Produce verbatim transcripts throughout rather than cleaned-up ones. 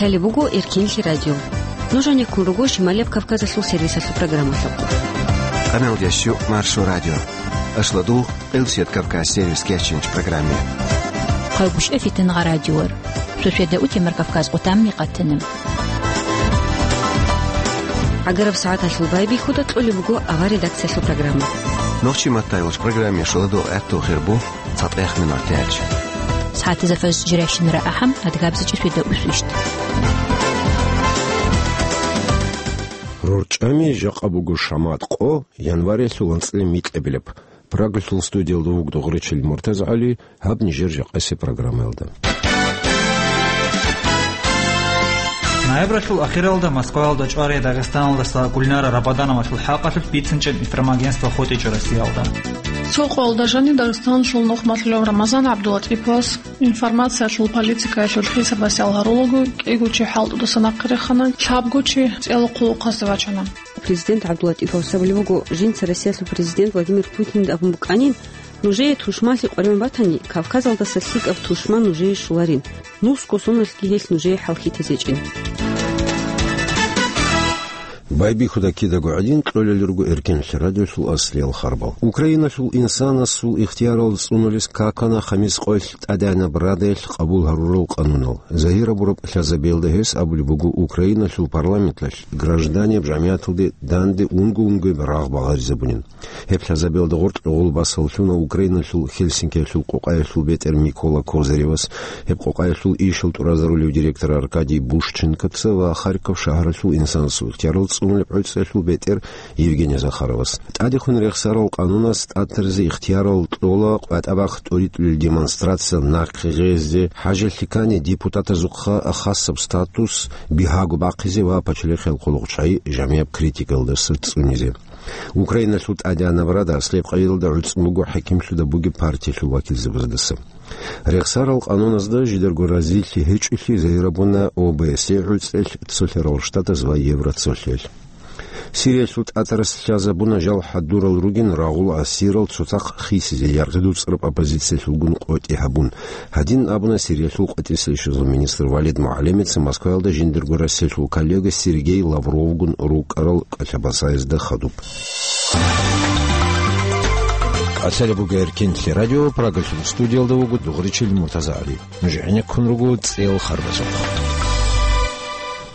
Гьале буго Эркинлъи радио. Нуж гӀенеккун руго Шималияб Кавказалъул сервисалъул программалъухъ. Къамел ящу Маршо радио. Ашладул Къилсият Кавказ сервис кечинч программе. Хъайгушев Фитнагъа радиор. Суседа утемар Кавказ къутамни къатана. ГӀагараб сагӀаталъул байбихьуда кьолеб буго авар редакциялъул программа. Нохчи маттайвач программе шуладу гӀатту хирбу. ЦатӀех минут лъеч. СагӀатазда фаз жирайщинара ахӀам, адгабзичӀи светда усвищт. РорчӀами жакъа буго шамат къо, январилъул анцӀила микьабилеб. Прагалъул студиялда вугдо Гъречил МуртазгӀали, гьаб нижер жакъасе программаялда. Ноябралъул ахиралда Москваялда чӀварай Дагъистаналдаса Гульнара Рабадановалъул хӀакъалъулъ бицинчӀеб информагентство хутӀичӀо Россиялда. Цо къоялда жаниб Дагъистаналъул нухмалъулев Рамазан ГӀабдулатӀиповас информациялъул политикаялъул хисабасел гьарулаго кӀиго чи хӀалтӀудаса нахъе рехана, лъабго чи цӀела хъулухъазде вачана. Президент ГӀабдулатӀиповас абулеб буго, жинца Россиялъул президент Владимир Путинда абун букӀанин, нужее тушманлъи къваригӀун батани, Кавказалдаса лъикӀаб тушман нужее щоларин. Нусго соналъги гьелъ нужее хӀалхьитезечӀин. Байбихьуда кидаго гӀадин кьолел руго Эркинлъи радиолъул аслиял харбал. Украиналъул инсанасул ихтиярал цӀунулес какана Хамис къоялъ ТӀадегӀанаб Радалъ къабул гьарурал къанунал. Загьир абураб лъазабиялда гьес абулеб буго Украиналъул парламенталъ гражданиял жамигӀаталде данде унго-унгояб рагъ багъаризабунин. Гьеб лъазабиялда гъоркь гъолбасаллъуна Украиналъул Хельсинкиялъул къокъаялъул бетӀер Микола Козыревас, гьеб къокъаялъул ишал тӀуразарулев директор Аркадий Бушченкоца ва Харьков шагьаралъул инсанасул ихтиярал цӀунулеб гӀуцӀиялъул бетӀер Евгений Захаровас. ТӀадехун рехсарал къанунас тӀатаризе ихтиярал кьола къватӀабахъ тӀоритӀулел демонстрация нахъе гъезе, хӀажалъикани депутатазухъа хасаб статус бигьаго бахъизе ва пачалихъиял хъулухъчагӀи жамияб критикалдаса цӀунизе. Украиналъул ТӀадегӀанаб Рада аслияб къайилалда гӀуцӀун буго хӀакимлъуда бугеб партиялъул вакилзабаздаса. Рехсарал къануназда жидарго разилъи гьечӀолъи загьирабуна О Б С Е гӀуцӀелъ, Цолъарал Штатаз ва Евроцолъиялъ. Сириялъул тӀатарас лъазабуна жал хӀадурал ругин рагъул асирал цоцахъ хисизе яргъи дуцӀараб оппозициялъулгун къотӀи гьабун. Гьадин абуна Сириялъул къватӀирсилищазул министр Валид МугӀалимица Москваялда жиндирго Россиялъул коллега Сергей Лавровгун рукӀарал кӀалъабасаязда хадуб. Къасалеб буго Эркинлъи радио, Прагалъул студиялда вуго Дугъричил МуртазагӀали. Нуж гӀенеккун руго цӀел харбазухъ.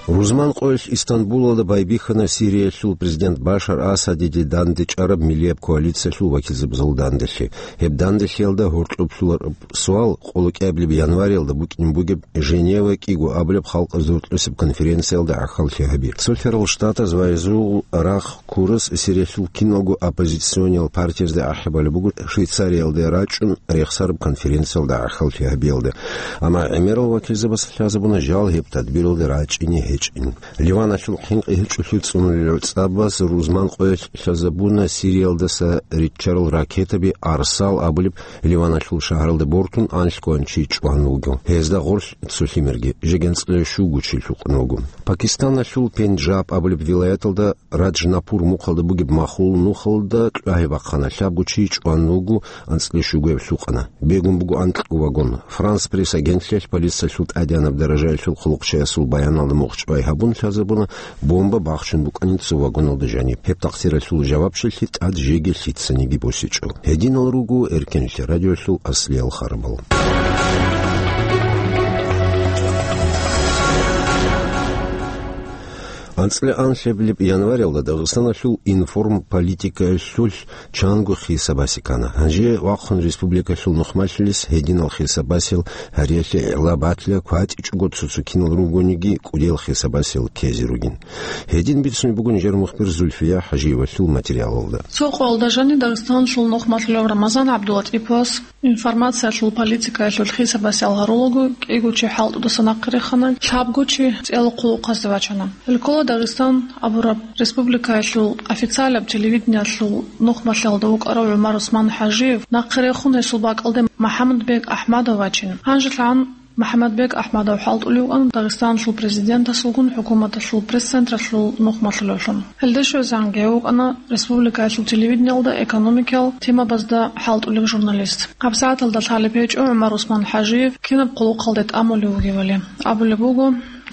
Рузман къоялъ Истанбулалда байбихьана Сириялъул президент Башар Асадиде данде чӀараб миллияб коалициялъул вакилзабазул данделъи. Гьеб данделъиялда гьоркьоб лъугьараб суал къолокӀабилеб январиялда букӀин бугеб Женева кӀиго абулеб халкъазул рокьосеб конференциялда гӀахьаллъи гьаби. Цолъарал Штатаз ва гьезул рагъ ккурас Сириялъул киналго оппозициониял партиязда ахӀи балеб буго Швейцариялде рачӀун рехсараб конференциялда гӀахьаллъи гьабиялда. Амма гӀемерал вакилзабаз лъазабуна жал гьеб тадбиралда рачӀине гьечӀин. Ливаналъул хӀинкъи гьечӀолъи цӀунулел гӀуцӀабаз Рузман къоялъ лъазабуна Сириялдаса риччарал ракетаби Арсал абулеб Ливаналъул шагьаралда бортун анлъго чи чӀван вуго. Гьезда гъорлъ цо лъимерги, жеги анцӀила щуго чи лъукъун вуго. Пакистаналъул Пенджаб абулеб вилаяталда Раджнапур мухъалда бугеб махул нухалда кьвагьи бахъана, лъабго чи чӀван вуго, анцӀила щугояб лъукъана. Бегун буго анкьго вагон. Франс Пресс агентлъиялъ полициялъул тӀадегӀанаб даражаялъул хъулухъчиясул баяналда мухъчӀвай гьабун лъазабуна, бомба бахчун букӀанин цо вагоналда жаниб. Гьеб такъдиралъул жавабчилъи тӀад жеги лъицаниги босичӀо. Гьединал руго Эркинлъи радиолъул аслиял харбал. АнцӀила анлъабилеб январалда Дагъистаналъул информполитикаялъулъ чанго хисабасе ккана. Гьанже вахъун республикалъул нухмалъулес гьединал хисабасел гьариялъе гӀела батила, кватӀичӀого цо-цо кинал ругониги кӀудиял хисабасел ккезе ругин. Гьедин бицунеб буго нижер мухбир Зульфия ХӀажиевалъул материалалда. Цо къоялда жаниб Дагъистаналъул нухмалъулев Рамазан ГӀабдулатӀиповас информациялъул политикаялъул хисабасел гьарулаго кӀиго чи хӀалтӀудаса нахъе рехана, лъабго чи цӀела хъулухъазде вачана. Гьел ккола Дагъистан абураб республикаялъул официалаб телевидениялъул нухмалъиялда вукӀарав ГӀумар Усман ХӀажиев, нахъе рехун гьесул бакӀалде МахӀаммадбек АхӀмадов вачин. Гьанжелъан МахӀаммадбек АхӀмадов хӀалтӀулев вукӀана Дагъистаналъул президентасулгун хӀукуматалъул пресс-централъул нухмалъулевлъун. Гьелде щвезегӀан гьев вукӀана республикаялъул телевидениялда экономикиял темабазда хӀалтӀулев журналист. ГьабсагӀаталда лъалеб гьечӀо ГӀумар Усман ХӀажиев кинаб хъулухъалде тӀамулев вугевали. Абулеб буго,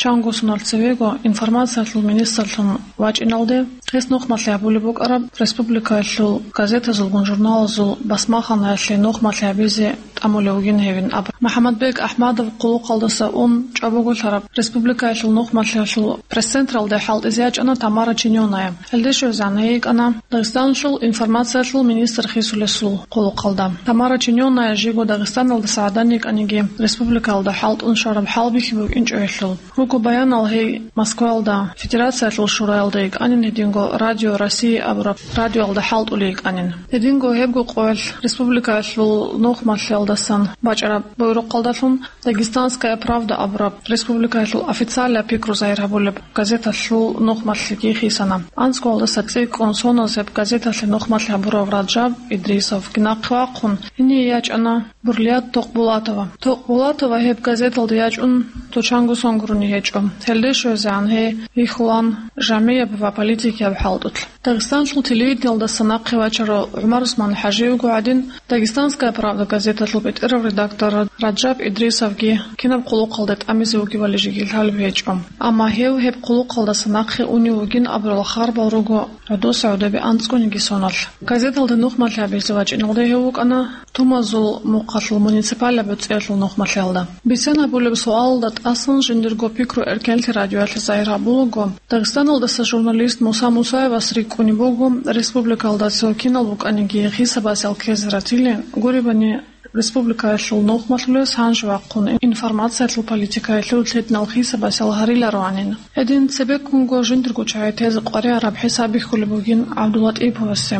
Чанго соналъ цевего информациялъул министрлъун вачӀиналде, гьес нухмалъи гьабулеб букӀараб республикаялъул газетазулгун журналазул басмаханаялъе нухмалъи гьабизе тӀамулев вугин гьевин аб. МухӀаммадбек АхӀмадов хъулухъалдаса ун чӀобого лъараб республикаялъул нухмалъиялъул пресс-централде хӀалтӀизе ячӀана Тамара Чинёная. Гьелде щвезегӀан гьей йикӀана Дагъистаналъул информациялъул министр хисулесул хъулухъалда. Тамара Чинёная жиго Дагъистаналдаса гӀадан йикӀаниги, республикаялда хӀалтӀун щвараб хӀалбихьи букӀинчӀо гьелъул. Руго баянал гьей Москваялда Федерациялъул шураялда йикӀанин, гьединго Радио России абураб радиоялда хӀалтӀулей йикӀанин. Гьединго гьебго къоялъ республикаялъул нухмалъиялдасан бачӀараб буйрухъалдалъун «Дагестанская правда» абураб республикаялъул официалияб пикру загьир гьабулеб газеталъул нухмалъиги хисана. АнцӀгоялдаса цӀикӀкӀун соналъ гьеб газеталъе нухмалъи гьабурав Раджаб Идрисовги нахъе вахъун, гьение ячӀана Бурлият Токъбулатова. Токъбулатова гьеб газеталда ячӀун цо чанго сон гурони гьечӀо. Гьелде щвезегӀан гьей вихьулаан жагьмияб ва политикияб хӀалтӀулъ. Дагъистанлъул телевидениялдаса нахъе вачарав ГӀумар ГӀусман ХӀажиевго гӀадин, «Дагестанская правда» газеталъул бетӀерав редактор Раджаб Идрисовги кинаб хъулухъалде тӀамизе вугевали жеги лъалеб гьечӀо. Амма гьев гьеб хъулухъалдаса нахъе унев вугин абурал харбал руго гӀодоса гӀодобе анцӀгониги соналъ. Газеталда нухмалъи гьабизе вачӀиналде гьев вукӀана Тумазул мухъалъул муниципалияб бецӀиялъул нухмалъиялда. Бицен гьабулеб суалалда тӀасан жиндирго пикру Эркенлъи радиоялъе загьир гьабулаго, Дагъистаналдаса журналист Муса Мусаевас рикӀкӀунеб буго, республикаялда цо кинал букӀаниги хисабасел ккезе ратили, гуребани, республикаялъул нухмалъулес гьанже вахъун информациялъул политикаялъул лъединал хисабасел гьарилароанин. Гьедин цебеккунго жиндирго чагӀи тезе къваригӀараб хӀисаб бихьулеб бугин ГӀабдулатӀиповасе.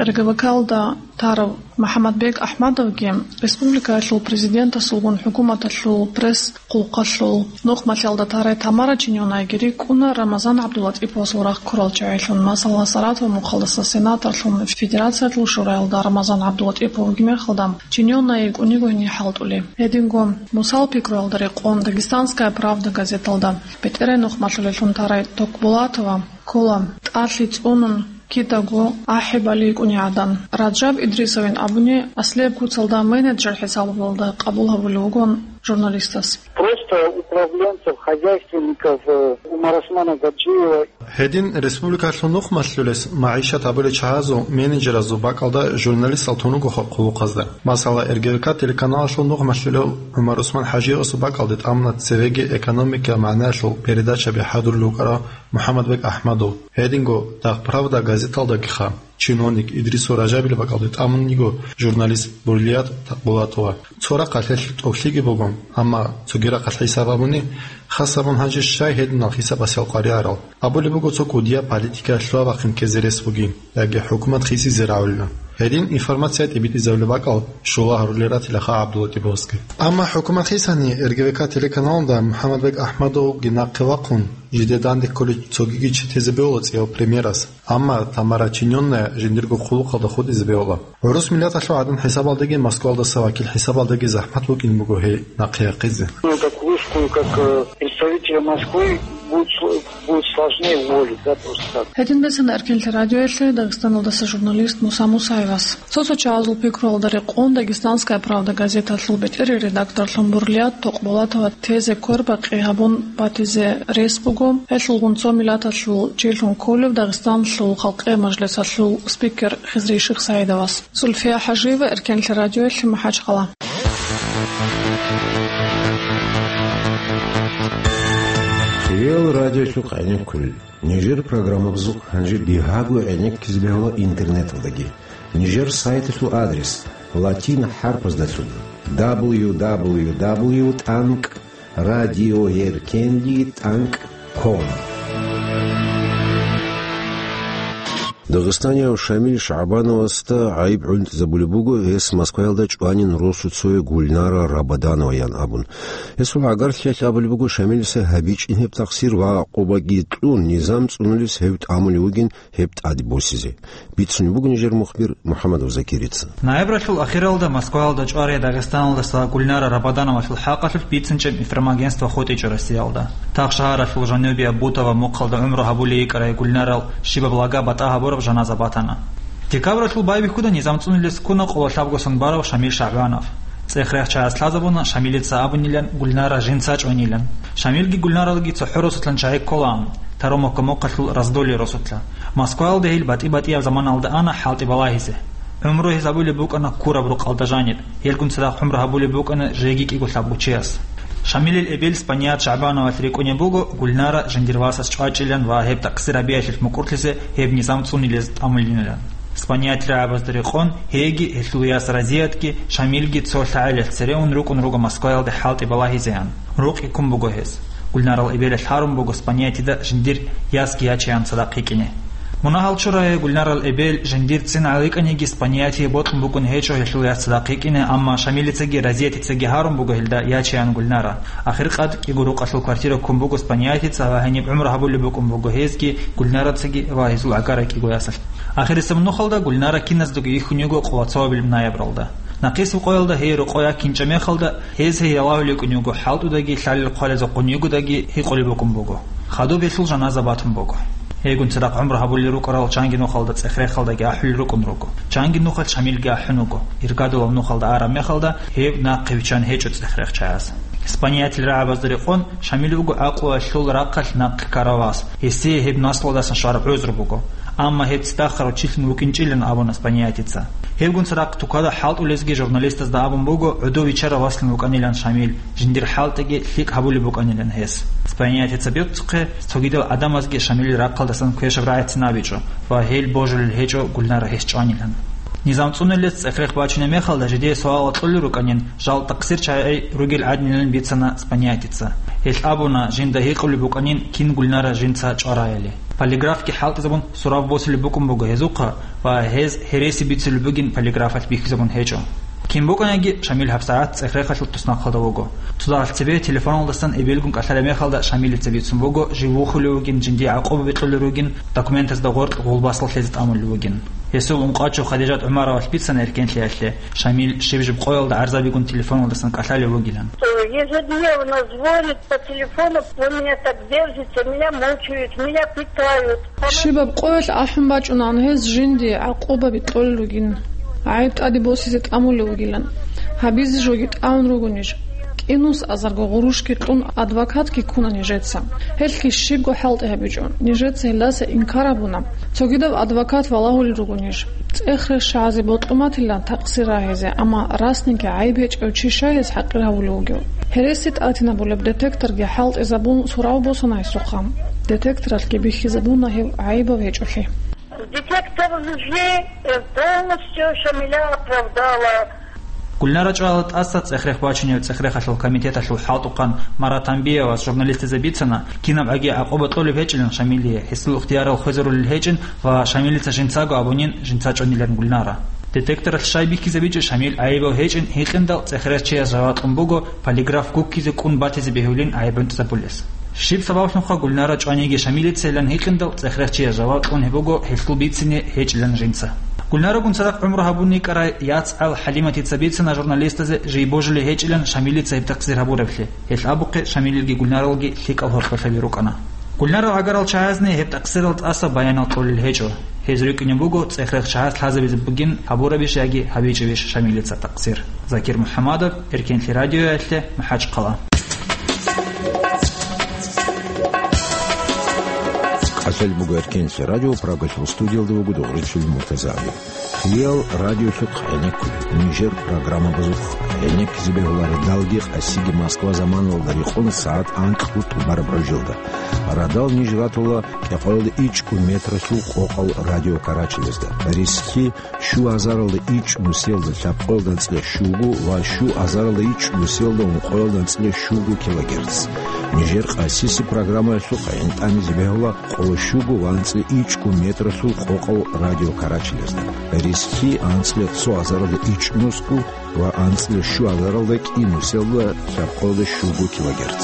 РГВК-алда тарав МухӀаммадбек АхӀмадовги республикаялъул президентасулгун хӀукуматалъул пресс-хъулухъалъул нухмалъиялда тарай Тамара Чинёнаяги рикӀкӀуна Рамазан ГӀабдулатӀиповасул рахъ ккурал чагӀилъун, масала, Саратов мухъалдаса сенаторлъун Федерациялъул шураялда Рамазан ГӀабдулатӀипов вугеб мехалда, Чинёная йикӀуниго гьенир хӀалтӀулей. Гьединго Мусал пикруялда рекъон «Дагестанская правда» газеталда бетӀерай нухмалъулелъун тарай Токъбулатова ккола тӀалъи цӀунун кидаго ахӀи балигӀуней гӀадан. Раджаб Идрисовин абуни, аслияб куцалда менеджер хӀисабалда къабул гьабулев вугон журналистас. Просто управленцев, хозяйственников, э, Умарусмана Гаджиева. Гьедин республикалъул нухмалъулес магӀишат гьабулел чагӀазул, менеджеразул бакӀалда журналистал тун руго хъулухъазда. Масала, РГВК телеканалалъул нухмалъулев ГӀумарусман ХӀажиевасул бакӀалде тӀамуна цевеги экономикиял магӀнаялъул передачаби хӀадурулев вукӀарав МухӀаммадбек АхӀмадов. Гьединго «Дагъ-Правда» газеталдагиха чиновник Идрисов Раджабил бакӀалде тӀамун йиго журналист Бурлият Токъбулатова. Цо рахъалъ гьелъ тӀокӀлъиги буго, амма цоги рахъалъ хӀисаб гьабуни, хас гьабун гьанже щай гьединал хӀисабасел къваригӀарал. Абулеб буго, цо кӀудияб политика лъугьа-бахъин ккезе рес бугин, яги хӀукумат хисизе рагӀулина. Гьедин информация тӀибитӀизабулеб бакӀал щула гьарулел ратилаха ГӀабдулатӀиповасги. Амма хӀукумат хисани, РГВК телеканалда МухӀаммадбек АхӀмадовги нахъе вахъун, жиде данде кколей цогиги чи тезе бегьула цӀияв премьерас. Амма Тамара Чинёная жиндирго хъулухъалда хутӀизе бегьула. ГӀурус миллаталъул гӀадан хӀисабалдаги Москвалдаса вакил хӀисабалдаги захӀмат букӀин буго гьей нахъе яхъизе. Ну, как вышку, как, э, представителя Москвы будет сл-, будет сложнее уволить, да, просто так. Гьедин бицана Эркенлъи радиоялъе Дагъистаналдаса журналист Муса Мусаевас. Цо-цо чагӀазул пикруялда рекъон «Дагестанская правда» газеталъул бетӀерей редакторлъун Бурлият Токъбулатова тезе квербакъи гьабун батизе рес буго, гьелъулгун цо миллаталъул чилъун кколев Дагъистаналъул халкъиял мажлисалъул спикер Хизри Шихсаидовас. Зульфия ХӀажиева, Эркенлъи радиоялъе, МахӀачхъала. Хириял радиолъухъ гӀенеккулел. Нижер программабазухъ гьанже бигьаго гӀенеккизе бегьула интернеталдаги. Нижер сайталъул адрес латин хӀарпаздалъун: дабл ю дабл ю дабл ю тӀанкӀ радиоэркенлъи тӀанкӀ ком. Дагъистанияв Шамил ШагӀбановасда гӀайиб гӀунтӀизабулеб буго, гьес Москваялда чӀванин росуцояв Гульнара Рабаданова ян абун. Гьесул гӀагарлъиялъ абулеб буго, Шамилица гьабичӀин гьеб такъсир ва къобаги кьун, низам цӀунулес гьев тӀамулев вугин гьеб тӀаде босизе. Бицунеб буго нижер мухбир МухӀаммадов Закирица. Ноябралъул ахиралда Москваялда чӀварай Дагъистаналдаса Гульнара Рабадановалъул хӀакъалъулъ бицинчӀеб информагентство хутӀичӀо Россиялда. Тахшагьаралъул жанубияб Бутово мухъалда гӀумру гьабулей йикӀарай Гульнарал щибаб лага батӀа гьабураб жаназа батана. Декабралъул байбихьуда низам цӀунулес ккуна къоло лъабго сон барав Шамил ШагӀбанов. ЦӀех-рех чагӀаз лъазабуна Шамилица абунилан Гульнара жинца чӀванилан. Шамилги Гульнаралги цохӀо росулъан чагӀи кколаан, Таромокка мохъалъул Раздолье росулъа. Москваялда гьел батӀи-батӀияб заманалда ана хӀалтӀи балагьизе. ГӀумру гьез гьабулеб букӀана ккураб рукъалда жаниб, гьелгун цадахъ гӀумру гьабулеб букӀана жеги кӀиго лъабго чияс. Шамилил эбел Спаният ШагӀбановалъ рикӀкӀунеб буго Гульнара жиндир васас чӀвачӀилан ва гьеб такъсир гьабиялъулъ мукӀурлъизе гьеб низам цӀунилез тӀамулинилан. Спаниятил рагӀабазда рекъон, гьеги, гьелъул яс Разиятги, Шамилги цо лъагӀелалъ цере ун рукӀун руго Москваялде хӀалтӀи балагьизеян. Рукъи ккун буго гьез. Гульнарал эбелалъ гьарун буго Спаниятида жиндир ясги ячеян цадахъ йикӀине. Мунагьал чураги Гульнарал эбел жиндир цин гӀаликӀаниги Спаниятие бокьун букӀун гьечӀо гьелъул яс цадахъ йикӀине, амма Шамилицаги Разиятицаги гьарун буго гьелда ячеян Гульнара. Ахиркъад кӀиго рукъалъул квартира ккун буго Спаниятица ва гьениб гӀумру гьабулеб букӀун буго гьезги, Гульнарацаги ва гьезул гӀагара кӀиго ясалъ. Ахирисеб нухалда Гульнара киназдаго йихьун йиго Къулацовабилеб ноябралда. Нахъисеб къоялда гьей рокъой якинчӀеб мехалда, гьез гьей ялагьулев йикӀун йиго хӀалтӀудаги, лъалел хъвалезухъун йигодаги гьикъулеб букӀун буго. Хадуб гьелъул жаназа батун буго. Гьейгун цадахъ гӀумру гьабулел рукӀарал чанги нухалда ЦӀех-Рехалдаги ахӀулел рукӀун руго. Чанги нухалъ Шамилги ахӀун вуго. Иргадулаб нухалда араб мехалда гьев нахъе виччан гьечӀо ЦӀех-Рех чагӀаз. Спаниятил рагӀабазда рекъон, Шамил вуго гӀакълуялъул рахъалъ нахъе ккарав вас. Гьесие гьеб наслуялдасан щвараб гӀузру буго. Амма гьеб цӀидахъ руччилъун вукӀинчӀилан абуна Спаниятица. Гьебгун цадахъ тукада хӀалтӀулезги журналистазда абун буго, гӀодов виччарав васлъун вукӀанилан Шамил, жиндир хӀалтӀиги лъикӀ гьабулеб букӀанилан гьес. Спаниятица бицухъе, цогидал гӀадамазги Шамилил рахъалдасан квешаб рагӀицин абичӀо ва гьел божулел гьечӀо Гульнара гьес чӀванилан. Низам цӀунулес ЦӀех-Рех бачунеб мехалда жидее суал кьолел рукӀанин, жал такъсир чагӀи ругел гӀадинилан бицана Спаниятица. Гьелъ абуна, жинда гьикъулеб букӀанин, кин Гульнара жинца чӀвараяли. Полиграфги хӀалтӀизабун сураб босулеб букӀун буго гьезухъа ва гьез гьереси бицулеб бугин полиграфалъ бихьизабун гьечӀо. Кин букӀаниги, Шамил гьабсагӀат ЦӀех-Рехалъул туснахъалда вуго. Цо дагьалъ цебе телефоналдасан эбелгун кӀалъалеб мехалда Шамилица бицун буго, жив вухулев вугин, жиндие гӀакъуба бикьулел ругин, документазда гъоркь гъулбасал лъезе тӀамулев вугин. Гьесул ункъачӀу Хадижат ГӀумаровалъ бицана эркенлъиялъе, Шамил щиб-жиб къоялда гӀарзабигун телефоналдасан кӀалъалев вугилан. Ежедневно звонит по телефону, вы меня так держите, меня мучают, меня пытают. Щибаб къоялъ ахӀун бачӀунаан гьез жинди гӀакъуба бикьулел ругин, гӀайиб тӀаде босизе тӀамулев вугилан, гьабизе жоги тӀамун ругонищ. КӀинус азарго гъурущги кьун адвокатги ккуна нижеца. Гьелъги щибго хӀалтӀи гьабичӀо, нижеца гьелдаса инкар гьабуна. Цогидаб адвокат валагьулел ругонищ. ЦӀех-Рех чагӀазе бокьун батилан такъсир рагьизе, амма расниги гӀайиб гьечӀев чи щай гьез хӀакъир гьавулев вугев? Гьереси тӀатинабулеб детекторги хӀалтӀизабун сурав босана гьесухъа. Детекторалъги бихьизабуна гьев гӀайибав гьечӀолъи. Детектор лжи, э, полностью Шамиля оправдала. Гульнара чӀвала тӀаса ЦӀех-Рех бачунев ЦӀех-Рехалъул комитеталъул хӀалтӀухъан Марат Анбиевас журналистазе бицана, кинаб гӀаги гӀакъуба кьолеб гьечӀилан Шамилие, гьесул ихтиярал хвезарулел гьечӀин ва Шамилица жинцаго абунин жинца чӀванилан Гульнара. Детекторалъ щай бихьизабичӀеб Шамил гӀайибав гьечӀин гьикъиндал ЦӀех-Рех чияс жаваб кьун буго, полиграф гуккизе кӀун батизе бегьулин гӀайиб гӀунтӀизабулес. Щиб сабаблъунха Гульнара чӀваниги Шамилицайилан гьикъиндал ЦӀех-Рех чияс жаваб кьун гьеб буго гьелъул бицине гьечӀилан жинца. Гульнарагун цадахъ гӀумру гьабун йикӀарай яцгӀал ХӀалиматица бицана журналистазе жий божулей гьечӀилан Шамилица гьеб такъсир гьабураблъи. Гьелъ абухъе Шамилилги Гульнаралги лъикӀал гьоркьолъаби рукӀана. Гульнарал гӀагарал чагӀазни гьеб такъсирал тӀаса баянал кьолел гьечӀо. Гьез рикӀкӀунеб буго, ЦӀех-Рех чагӀаз лъазабизе бугин гьабурабищ яги гьабичӀебищ Шамилица такъсир. Закир МухӀамадов, Эркенлъи радиоялъе, МахӀачхъала. КӀалъалеб буго Эркенлъи радио, Прагалъул студиялда вуго Дугърилъул МуртазагӀли. Кьиял радиолъухъ гӀенеккулеб, нижер программабазухъ гӀенеккизе бегьула радалги къасиги Москва заманалда рекъон сагӀат анкьго тӀубараб гӀужилда. Радал ниж ратула кӀикъоялда ичӀго метралъул къокъал радио карачелезда. Рисхьи щу азаралда ичӀ нусиялда лъабкъоялда анцӀила щуго ва щу азаралда ичӀ нусиялда ункъоялда анцӀила щуго килогерц. Нижер къасиси программаялъухъ гӀинтӀамизе бегьула къоло щуго ва анцӀила ичӀго метралъул къокъал радио карачелезда. Рисхьи анцӀила цо азаралда ичӀ нусго ва анцӀила щу азаралда кӀи нусиялда лъабкъоялда щуго килогерц.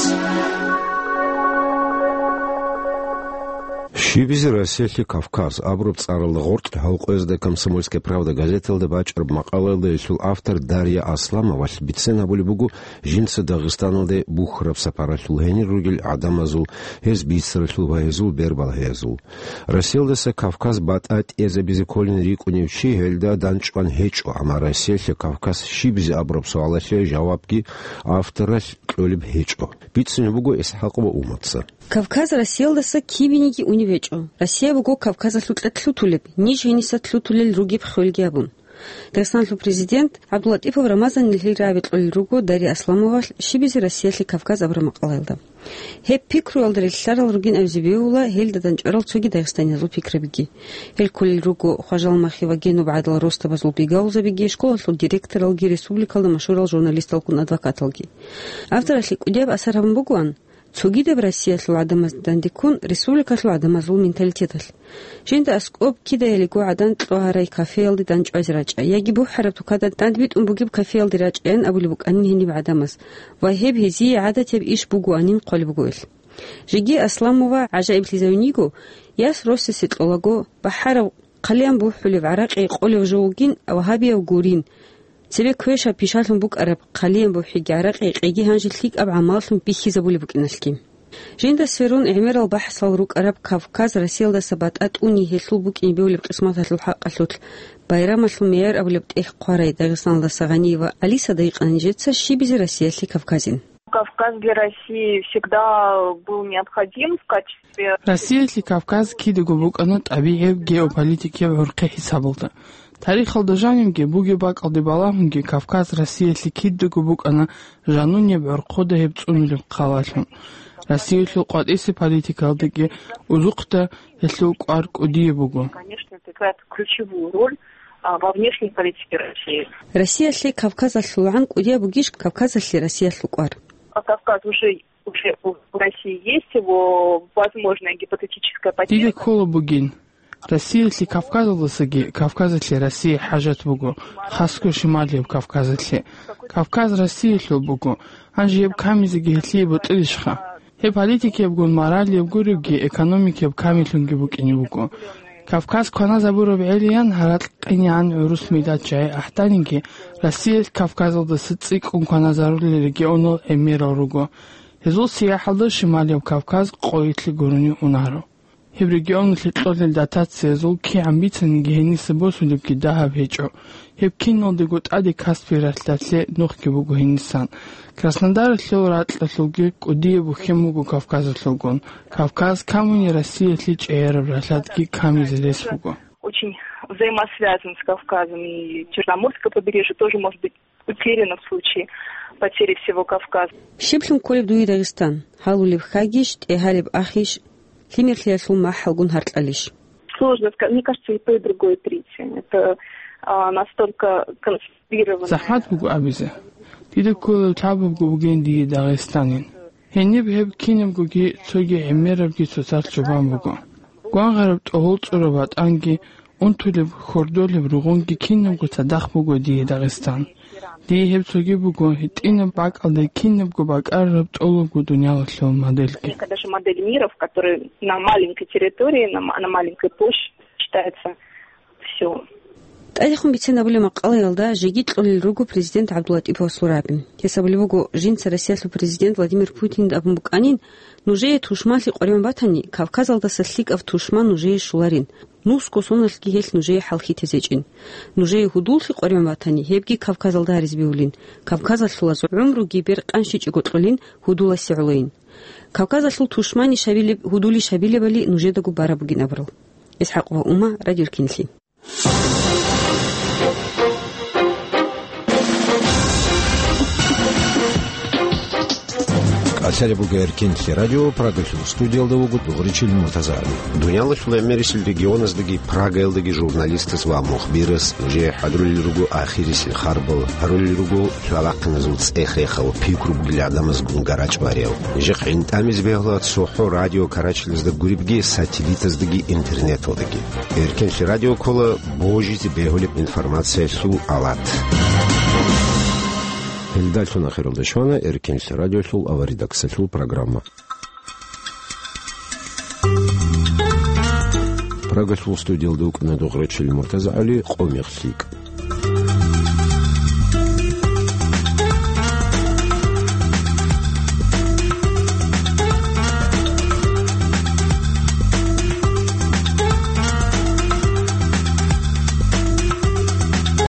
Щибизе Россиялъе Кавказ абураб цӀаралда гъоркь гьалкъоязда «Комсомольская правда» газеталда бачӀараб макъалаялда гьелъул автор Дарья Асламовалъ бицен гьабулеб буго жинца Дагъистаналде бухьараб сапаралъул, гьенир ругел гӀадамазул, гьез бицаралъул ва гьезул бербалъиязул. Россиялдаса Кавказ батӀа тӀезабизе кколин рикӀкӀунев чи гьелда дандчӀван гьечӀо, амма Россиялъе Кавказ щибизе абураб суалалъе жавабги авторалъ кьолеб гьечӀо. Бицунеб буго ИсхӀакъова Умаца. Кавказ Россиялдаса кибениги унеб гьечӀо. Россия буго Кавказалъукьа лъутулеб, ниж гьениса лъутулел ругеб хвелги абун. Дагъистаналъул президент ГӀабдуллатӀипов Рамазанил гьел рагӀаби кьолел руго Дарья Асламовалъ «Щибизе Россиялъе Кавказ» абураб макъалаялда. Гьеб пикруялда релълъарал ругин абизе бегьула гьелда дандчӀварал цоги дагъистаниязул пикрабиги. Гьел кколел руго Хважалмахи ва Генуб гӀадал росдабазул бигалзабиги, школалъул директоралги, республикалда машгьурал журналисталгун адвокаталги. Авторалъе кӀудияб асар гьабун бугоан, цогидаб Россиялъул гӀадамазда дандеккун, республикалъул гӀадамазул менталитеталъ. Жинда аскӀоб кидаялиго гӀадан кьогьарай кафеялде дандчӀвазе рачӀа, яги бухӀараб тукада дандбитӀун бугеб кафеялде рачӀаян абулеб букӀанин гьениб гӀадамаз, ва гьеб гьезие гӀадатияб иш бугоанин хъвалеб буго гьелъ. Жеги Асламова гӀажаиблъизавин йиго, яс росасе кьолаго, бахӀараб хъалиян бухӀулеб гӀаракъи къолев жо вугин вагьабияв гурин, цебе квешаб пишалъун букӀараб хъалиян бухӀиги гӀаракъи къеги гьанже лъикӀаб гӀамаллъун бихьизабулеб букӀиналъги. Жинда сверун гӀемерал бахӀсал рукӀараб Кавказ Россиялдаса батӀа тӀуни гьелъул букӀине бевлеб къисматалъул хӀакъалъулъ байрамалъул мегӀер абулеб тӀехь хъварай Дагъистаналдаса Гъаниева Алисада гьикъана нижеца щибизе Россиялъе Кавказин. Кавказ для России всегда был необходим в качестве Россиялъе Кавказ кидаго букӀана тӀабигӀияб геополитикияб гӀурхъи хӀисабалда. Тарихалда жанивги бугеб бакӀалде балагьунги Кавказ Россиялъе кидаго букӀана жанунеб гӀорхъода гьеб цӀунулеб хъалалъун. Россиялъул къватӀисе политикалдаги узухъда гьелъул кӀвар кӀудияб буго. Конечно, это играет ключевую роль, а, во внешней политике России. Россиялъе КавказалъулгӀан кӀудияб бугищ Кавказалъе Россиялъул кӀвар? А Кавказ уже, уже у России есть, его возможная гипотетическая потеря. Дида ккола бугин. Россиялъе Кавказалдасаги Кавказалъе Россие хӀажат буго, хасго шималияб Кавказалъе. Кавказ Россиялъул буго, гьанже гьеб камизеги гьелъие бутӀилищха? Гьеб политикиябгун маралияб гуребги, экономикияб камилъунги букӀине буго. Кавказ кваназабураб гӀелиян гьаракь къинигӀан гӀурус миллат жагьи ахӀданиги, Россиялъ Кавказалдаса цӀикӀкӀун кваназарулел регионал гӀемерал руго. Гьезул сияхӀалда Шималияб Кавказ къойилъе гурони унаро. Гьеб регионалъе кьолел дотациязул кигӀан бицаниги гьениса босулебги дагьаб гьечӀо. Гьеб киналдаго тӀаде Каспий ралъдалъе нухги буго гьенисан. Краснодаралъул ракьалъулги кӀудияб бухьен буго Кавказалъулгун. Кавказ камуни Россиялъе чӀегӀераб ралъадги камизе рес буго. Очень взаимосвязан с Кавказом, и Черноморское побережье тоже может быть утеряно в случае потери всего Кавказа. Щиблъун кколеб дуе Дагъистан? Гьалулеб хьагищ, тӀегьалеб ахищ, лъимерлъиялъул махӀалгун гьаркьалищ? Сложно сказать. Мне кажется, и то, и другое третье. Это, а, настолько концентрированное. ЗахӀмат буго абизе. Дида кколеб лъабабго бугин дие Дагъистанин. Гьениб гьеб кинабгоги цоги гӀемерабги цоцалъ чӀобан буго. Гвангъараб тӀогьол цӀураб ватӀанги, унтулеб хьордолеб ругъунги кинабго цадахъ буго дие Дагъистан. Дие гьеб цоги буго гьитӀинаб бакӀалде кинабго бакӀараб тӀолабго дуниялалъул модельги. Даже модель мира, в которой на маленькой территории, на ма-, на маленькой площади считается всё. ТӀадехун бицен абулеб макъалаялда жеги кьолел руго президент ГӀабдуллатӀиповасул рагӀаби. Гьес абулеб буго, жинца Россиялъул президент Владимир Путинда абун букӀанин, нужее тушманлъи къваригӀун батани, Кавказалдаса лъикӀав тушман нужее щоларин, нусго соналъги гьелъ нужее хӀалхьитезечӀин. Нужее гьудуллъи къваригӀун батани, гьебги Кавказалда гьаризе бегьулин, кавказалъулаз гӀумруги беркъанщичӀого кьолин гьудуласе гӀолойин. Кавказалъул тушманищ гьабилеб, гьудулищ гьабилебали нужедаго бараб бугин абурал. ИсхӀакъова Ума, Радио Эркинлъи. КӀалъалеб буго Эркинлъи радио, Прагалъул студиялда вуго Дугъричил Муртазагьаби. Дуниялалъул гӀемерисел регионаздаги Прагаялдаги журналистас ва мухбирас нужее хӀадурулел руго ахирисел харбал, гьарулел руго лъалахъиназул цӀех-рехал, пикру бугел гӀадамазгун гарачӀ бариял. Нижехъ гӀинтӀамизе бегьула цохӀо радио карачилазда гуребги, сателлитаздаги интернеталдаги. Эркинлъи радио ккола божизе бегьулеб информациялъул алат. Гьелдалъун ахиралда щвана Эркинлъи радиолъул аваридаксалъул программа. Прагалъул студиялда вукӀана дугӀрачил МуртазагӀали, «Къо мех лъикӀ».